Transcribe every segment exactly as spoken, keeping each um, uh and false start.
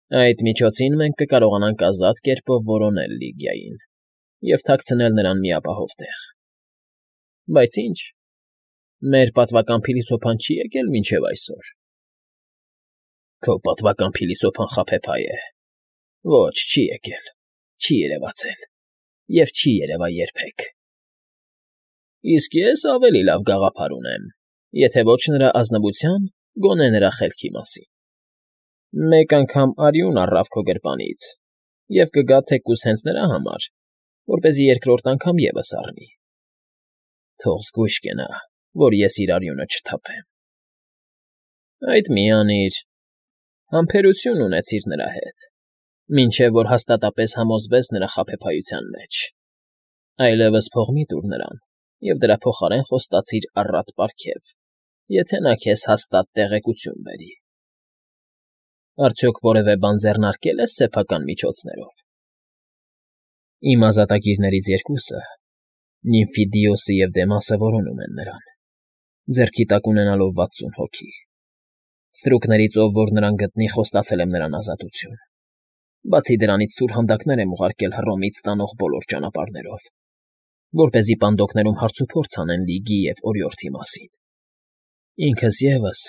Այդ միջոցին մենք կկարողանանք ազատ կերպով որոնել Լիգիային և թաքցնել նրան մի ապահով տեղ։ Բայց ինչ, մեր պատվական փիլիսոփան չի եկել մինչև այսօր։ Քո պատվական փիլիսոփան խաբեբայ է։ Ոչ, չի եկել, չի երևացել և չի երևա երբեք։ Իսկ ես ավելի լավ գաղափար ունեմ, եթե ոչ նրա ազնվության, գոնե նրա խելքի մասին։ Մեկ անգամ արյուն առավ քո գրպանից, և կգա թեկուզ հենց նրա համար, որպեսզի երկրորդ անգամ ևս առնի։ Թող զգույշ կենա, որ ես իր արյունը չթափեմ։ Այդ մի անիր, համբերություն ունեցիր նրա հետ, մինչև որ հաստատապես համոզվես նրա խաբեբայության մեջ, այլևս փող մի տուր նրան և դրա փոխարեն խոստացիր առատ պարգև, եթե նա քեզ հաստատ տեղեկություն բերի։ Արդյոք որևէ բան ձեռնարկել ես սեփական միջոցներով։ Իմ ազատագիրներից երկուսը, Նիմֆիդիոսը և Դեմասը որոնում են նրան, ձեռքի տակ ունենալով վաթսուն հոգի։ Ստրուկներից ով որ նրան գտնի, խոստացել եմ նրան ազատություն։ Բացի դրանից սուրհանդակներ եմ ուղարկել Հռոմից տանող բոլոր ճանապարհներով, որպեսզի պանդոկներում հարցուփորձ անեն Լիգի և օրիորդի մասին։ Ինքս ևս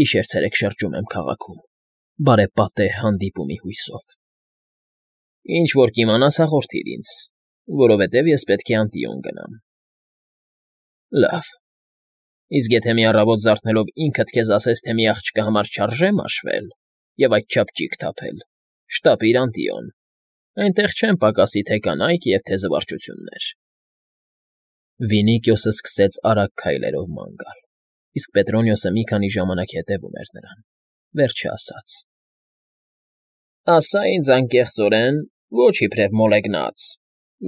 գիշեր֊ցերեկ շրջում եմ քաղաքում, բարեպատեհ հանդիպումի հույսով։ Ինչ որ կիմանաս, հաղորդիր ինձ, որովհետև ես պետք է Անտիոն գնամ։ Լավ, իսկ եթե մի առավոտ զարթնելով ինքդ քեզ ասես, թե մի աղջկա համար չարժե մաշվել և այդչափ ճիգ թափել, շտապիր Անտիոն, այնտեղ չեն պակասի թե կանայք և թե զվարճություններ։ Վինիկիոսը սկսեց արագ քայլերով ման գալ, իսկ Պետրոնիոսը մի քանի ժամանակ հետևում էր նրան, վերջը ասաց. Ասա ինձ անկեղծորեն, ոչ իբրև մոլեգնած,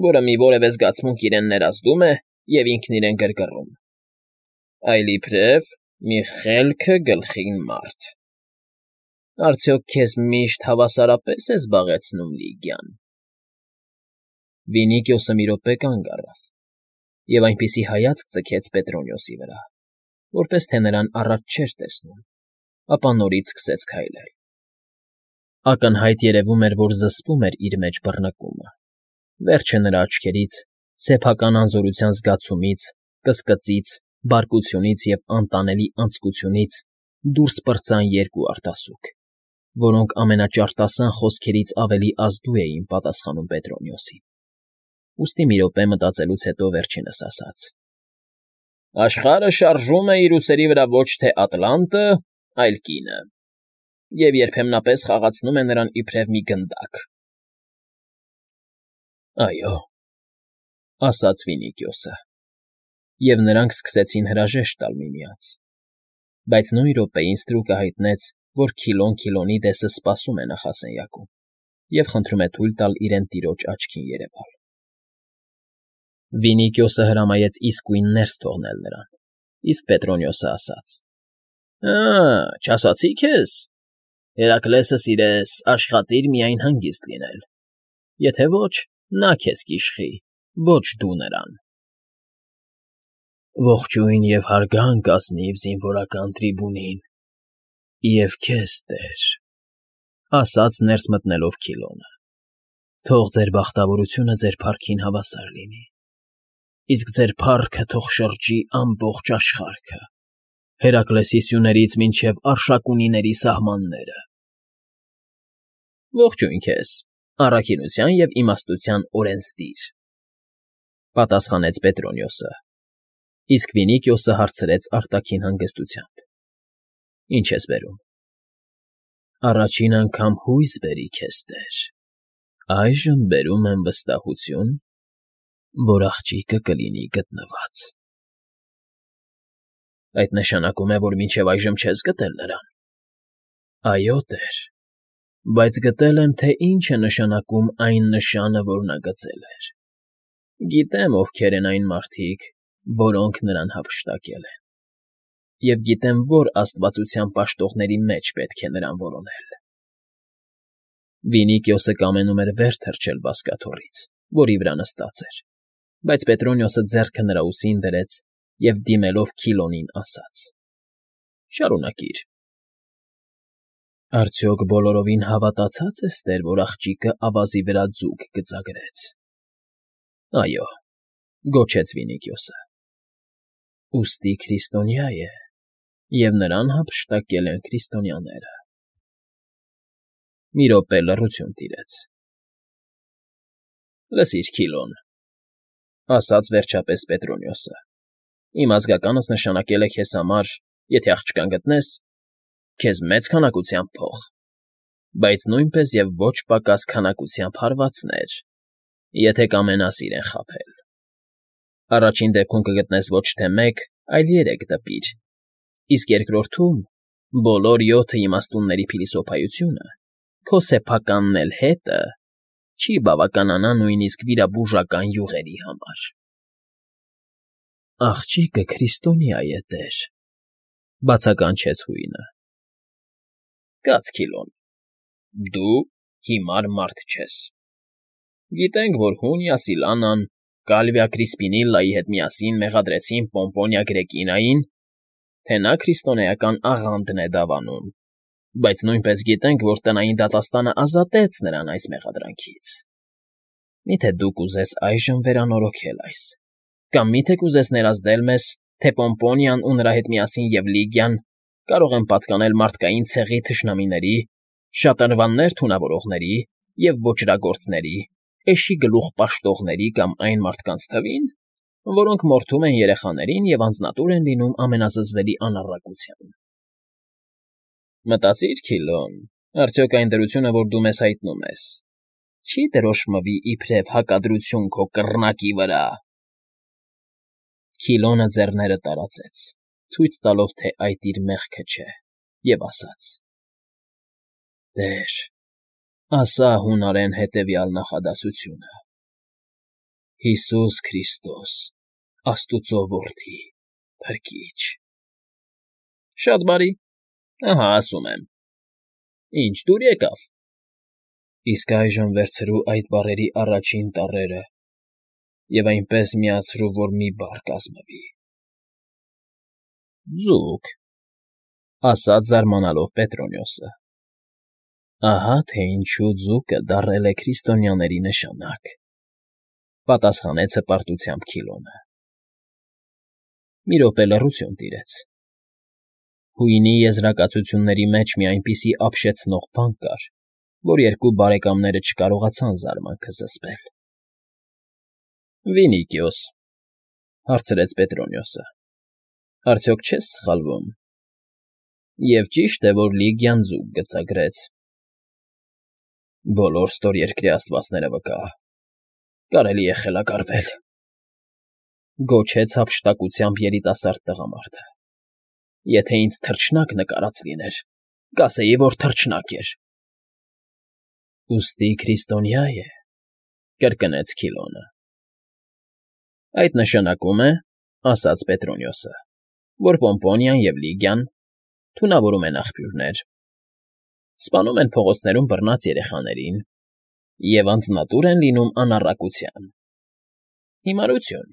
որը մի որևէ զգացմունք իրեն ներազդում է և ինքն իրեն գրգռում, այլ իբրև մի խելքը գլխին մարդ։ Արդյոք քեզ միշտ հավասարապես է զբաղեցնում Լիգիան։ Վինիկիոսը մի րոպե կանգ առավ և այնպիսի հայացք ձգեց Պետրոնիոսի վրա, որպես թե նրան առաջ չէր տեսնում, ապա նորից սկսեց քայլել։ Ակնհայտ երևում էր, որ զսպում էր իր մեջ բռնկումը, վերջը նրա աչքերից, սեփական անզորության զգացումից, կսկծից, բարկությունից և անտանելի անձկությունից դուրս պրծան երկու արտասուք, որոնք ամենաճարտասան խոսքերից ավելի ազդու էին պատասխանում Պետրոնիոսին։ Ուստի մի րոպե մտածելուց հետո վերջինս ասաց. Աշխարհը շարժում է իր ուսերի վրա ոչ թե Ատլանտը, այլ կինը, և երբեմնապես խաղացնում է նրան իբրև մի գնդակ։ Այո, ասաց Վինիկիոսը, և նրանք սկսեցին հրաժեշտ տալ միմյանց, բայց նույն րոպեին ստրուկը հայտնեց, որ Քիլոն Քիլոնի դեսը սպասում է նախասենյակում և խնդրում է թույլ տալ իրեն տիրոջ աչքին երևալ։ Վինիկիոսը հրամայեց իսկույն ներս թողնել նրան, իսկ Պետրոնիոսը ասաց. Ա՜, չասացի քեզ, Հերակլեսը սիրես, աշխատիր միայն հանգիստ լինել, եթե ոչ, նա քեզ կիշխի, ոչ դու նրան։ Ողջույն և հարգանք ազնիվ զինվորական трибունին, և քեզ, տեր, ասաց ներս մտնելով Քիլոնը, թող ձեր բախտավորությունը ձեր փառքին հավասար լինի, իսկ ձեր փառքը թող շրջի ամբողջ աշխարհը, Հերակլեսի սյուներից մինչև Արշակունիների սահմանները։ Ողջույն քեզ, առաքինության և իմաստության օրենսդիր, պատասխանեց Պետրոնիոսը, իսկ Վինիկիոսը հարցրեց արտաքին հանգստությամբ. Ինչ ես բերում։ Առաջին անգամ հույս բերի քեզ, տեր, այժմ բերում եմ վստահություն, որ աղջիկը կլինի գտնված։ Այդ նշանակում է, որ մինչև այժմ չես գտել նրան։ Այո, տեր, բայց գտել եմ, թե ինչ է նշանակում այն նշանը, որ նա գծել էր։ Գիտեմ ովքեր են այն մարդիկ, որոնք նրան հափշտակել են, և գիտեմ որ աստվածության պաշտողների մեջ պետք է նրան որոնել։ Վինիկիոսը կամենում էր վեր թռչել բազկաթոռից, որի վրա նստած էր, բայց Պետրոնիոսը ձեռքը նրա ուսին դրեց և դիմելով Քիլոնին ասաց. Շարունակիր։ Արդյոք բոլորովին հավատացած ես, տեր, որ աղջիկը ավազի վրա ձուկ գծագրեց։ ֊ Այո,֊ գոչեց Վինիքիոսը։ ֊ Ուստի քրիստոնյա է, և նրան հափշտակել են քրիստոնյաները… Մի րոպե լռություն տիրեց։ ֊ Լսիր, Քիլոն,֊ ասաց վերջապես Պետրոնիոսը,֊ իմ ազգականս նշանակել է քեզ համար, եթե աղջկան գտնես, քեզ մեծ քանակությամբ փող, բայց նույնպես և ոչ պակաս քանակությամբ հարվածներ, եթե կամենաս իրեն խաբել. առաջին դեպքում կգտնես ոչ թե մեկ, այլ երեք դպիր, իսկ երկրորդում բոլոր յոթը իմաստունների փիլիսոփայությունը, քո սեփականն էլ հետը չի բավականանա նույնիսկ վիրաբուժական յուղերի համար։ ֊ Աղջիկը քրիստոնյա է, տեր,֊ բացականչեց հույնը։ ֊ Կաց, Քիլոն, դու հիմար մարդ չես… Գիտենք, որ Հունիա Սիլանան Կալվիա Կրիսպինիլլայի հետ միասին մեղադրեցին Պոմպոնիա Գրեկինային, թե նա քրիստոնեական աղանդն է դավանում, բայց նույնպես գիտենք, որ տնային դատաստանը ազատեց նրան այս մեղադրանքից… Մի՞թե դու կուզես այժմ վերանորոգել այս, կամ մի՞թե կուզես ներազդել մեզ, թե Պոմպոնիան ու նրա հետ միասին և Լիգիան կարող են պատկանել մարդկային ցեղի թշնամիների, շատրվաններ թունավորողների և ոճրագործների, էշի գլուխ պաշտողների կամ այն մարդկանց թվին, որոնք մորթում են երեխաներին և անձնատուր են լինում ամենազզվելի անառակության… Մտածի՞ր, Քիլոն, արդյոք այն դրությունը, որ դու մեզ հայտնում ես, չի դրոշմվի իբրև հակադրություն քո կռնակի վրա… Քիլոնը ձեռները տարածեց, ցույց տալով, թե այդ իր մեղքը չէ, և ասաց. ֊ Տեր, ասա հունարեն հետևյալ նախադասությունը. «Հիսուս Քրիստոս, Աստուծո որդի, Փրկիչ»։ ֊ Շատ բարի, ահա ասում եմ։ ֊ Ինչ, դուր եկավ… Իսկ այժմ վերցրու այդ բառերի առաջին տառերը և այնպես միացրու, որ մի բառ կազմվի։ ֊ Ձուկ,֊ ասաց զարմանալով Պետրոնիոսը։ ֊ Ահա թե ինչու ձուկը դարել է քրիստոնյաների նշանակ,֊ պատասխանեց հպարտությամբ Քիլոնը։ Մի րոպե լռություն տիրեց։ Հույնի եզրակացությունների մեջ մի այնպիսի ապշեցնող բան կար, որ երկու բարեկամները չկարողացան զարմանքը զսպել։ ֊ Վինիքիոս,֊ հարցրեց Պետրոնիոսը,֊ արդյոք չես սխալվում, և ճի՞շտ է, որ Լիգիան ձուկ գծագրեց։ ֊ Բոլոր ստորերկրի աստվածները վկա… Կարելի է խելագարվել,֊ գոչեց հափշտակությամբ երիտասարդ տղամարդը։֊ Եթե ինձ թռչնակ նկարած լիներ, կասեի, որ թռչնակ էր։ ֊ Ուստի քրիստոնյա է,֊ կրկնեց Քիլոնը։ ֊ Այդ նշանակում է,֊ ասաց Պետրոնիոսը,֊ որ Պոմպոնիան և Լիգիան թունավորում են աղբյուրներ, սպանում են փողոցներում բռնած երեխաներին և անձնատուր են լինում անառակության… Հիմարություն…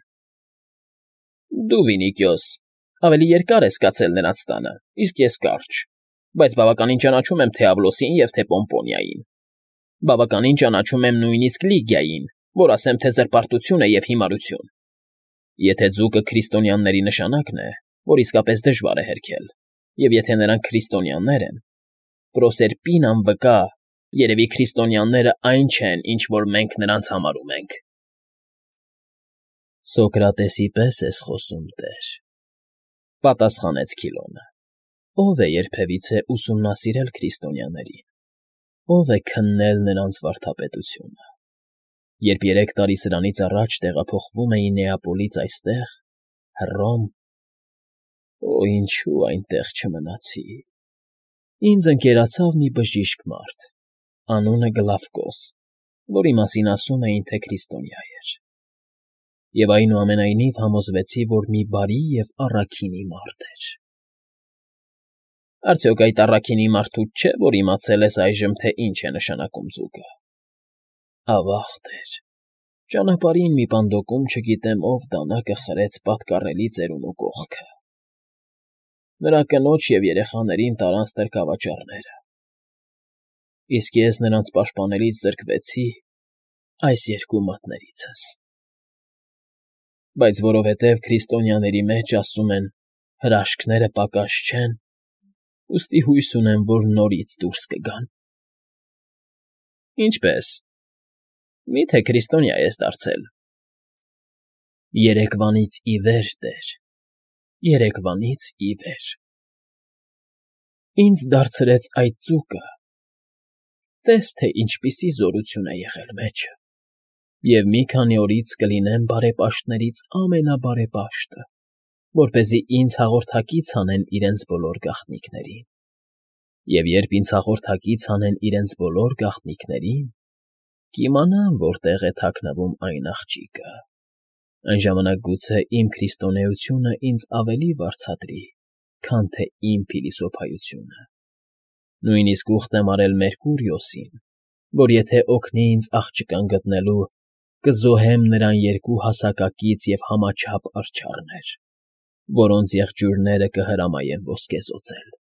Դու, Վինիքիոս, ավելի երկար ես կացել նրանց տանը, իսկ ես կարճ, բայց բավականին ճանաչում եմ թե՛ Ավլոսին և թե՛ Պոմպոնիային, բավականին ճանաչում եմ նույնիսկ Լիգիային, որ ասեմ, թե զրպարտություն է և հիմարություն… Եթե ձուկը քրիստոնյաների նշանակն է, որ իսկապես դժվար է հերքել, և եթե նրանք քրիստոնյաներ են, Պրոսերպինան վկա, երևի քրիստոնյաները այն չեն, ինչ որ մենք նրանց համարում ենք… ֊ Սոկրատեսի պես ես խոսում, տեր,֊ պատասխանեց Քիլոնը։ ֊ Ո՞վ է երբևիցե ուսումնասիրել քրիստոնյաներին, ո՞վ է քննել նրանց վարդապետությունը, երբ երեք տարի սրանից առաջ տեղափոխվում էի Նեապոլից այստեղ, Հռոմ… Օ, ինչո՞ւ այնտեղ չմնացի… Ինձ ընկերացավ մի բժիշկ մարդ, անունը Գլավկոս, որի մասին ասում էին, թե քրիստոնյա էր… Եվ այնուամենայնիվ համոզվեցի, որ մի բարի և առաքինի մարդ էր… Արդյոք այդ առաքինի մարդուց չէ, որ իմացել ես այժմ, թե ինչ է նշանակում ձուկը… Ավա՜ղ, տեր, ճանապարհին մի պանդոկում չգիտեմ ով դանակը խրեց պատկառելի ծերունու կողքը… Նրա կնոջ և երեխաներին տարան ստրկավաճառները, Իսկ ես նրանց պաշտպանելիս զրկվեցի այս երկու մատներիցս։ Բայց որովհետև քրիստոնյաների մեջ, ասում են, հրաշքները պակաս չեն, ուստի հույս ունեմ, որ նորից դուրս կգան։ ֊ Ինչպե՞ս, մի՞թե քրիստոնյա ես դարձել։ ֊ Երեկվանից ի վեր, տեր, երեկվանից ի վեր… Ինձ դարձրեց այդ ձուկը, տես թե ինչպիսի զորություն է եղել մեջը, և մի քանի օրից կլինեմ բարեպաշտներից ամենաբարեպաշտը, որպեսզի ինձ հաղորդակից անեն իրենց բոլոր գաղտնիքներին, և երբ ինձ հաղորդակից անեն իրենց բոլոր գաղտնիքներին, կիմանամ որտեղ է թաքնվում այն աղջիկը, այն ժամանակ գուցե իմ քրիստոնեությունը ինձ ավելի վարձատրի, քան թե իմ փիլիսոփայությունը. նույնիսկ ուխտ եմ արել Մերկուրիոսին, որ եթե օգնի ինձ աղջկան գտնելու, կզոհեմ նրան երկու հասակակից և համաչափ արջառներ, որոնց եղջյուրները կհրամայեմ ոսկեզօծել։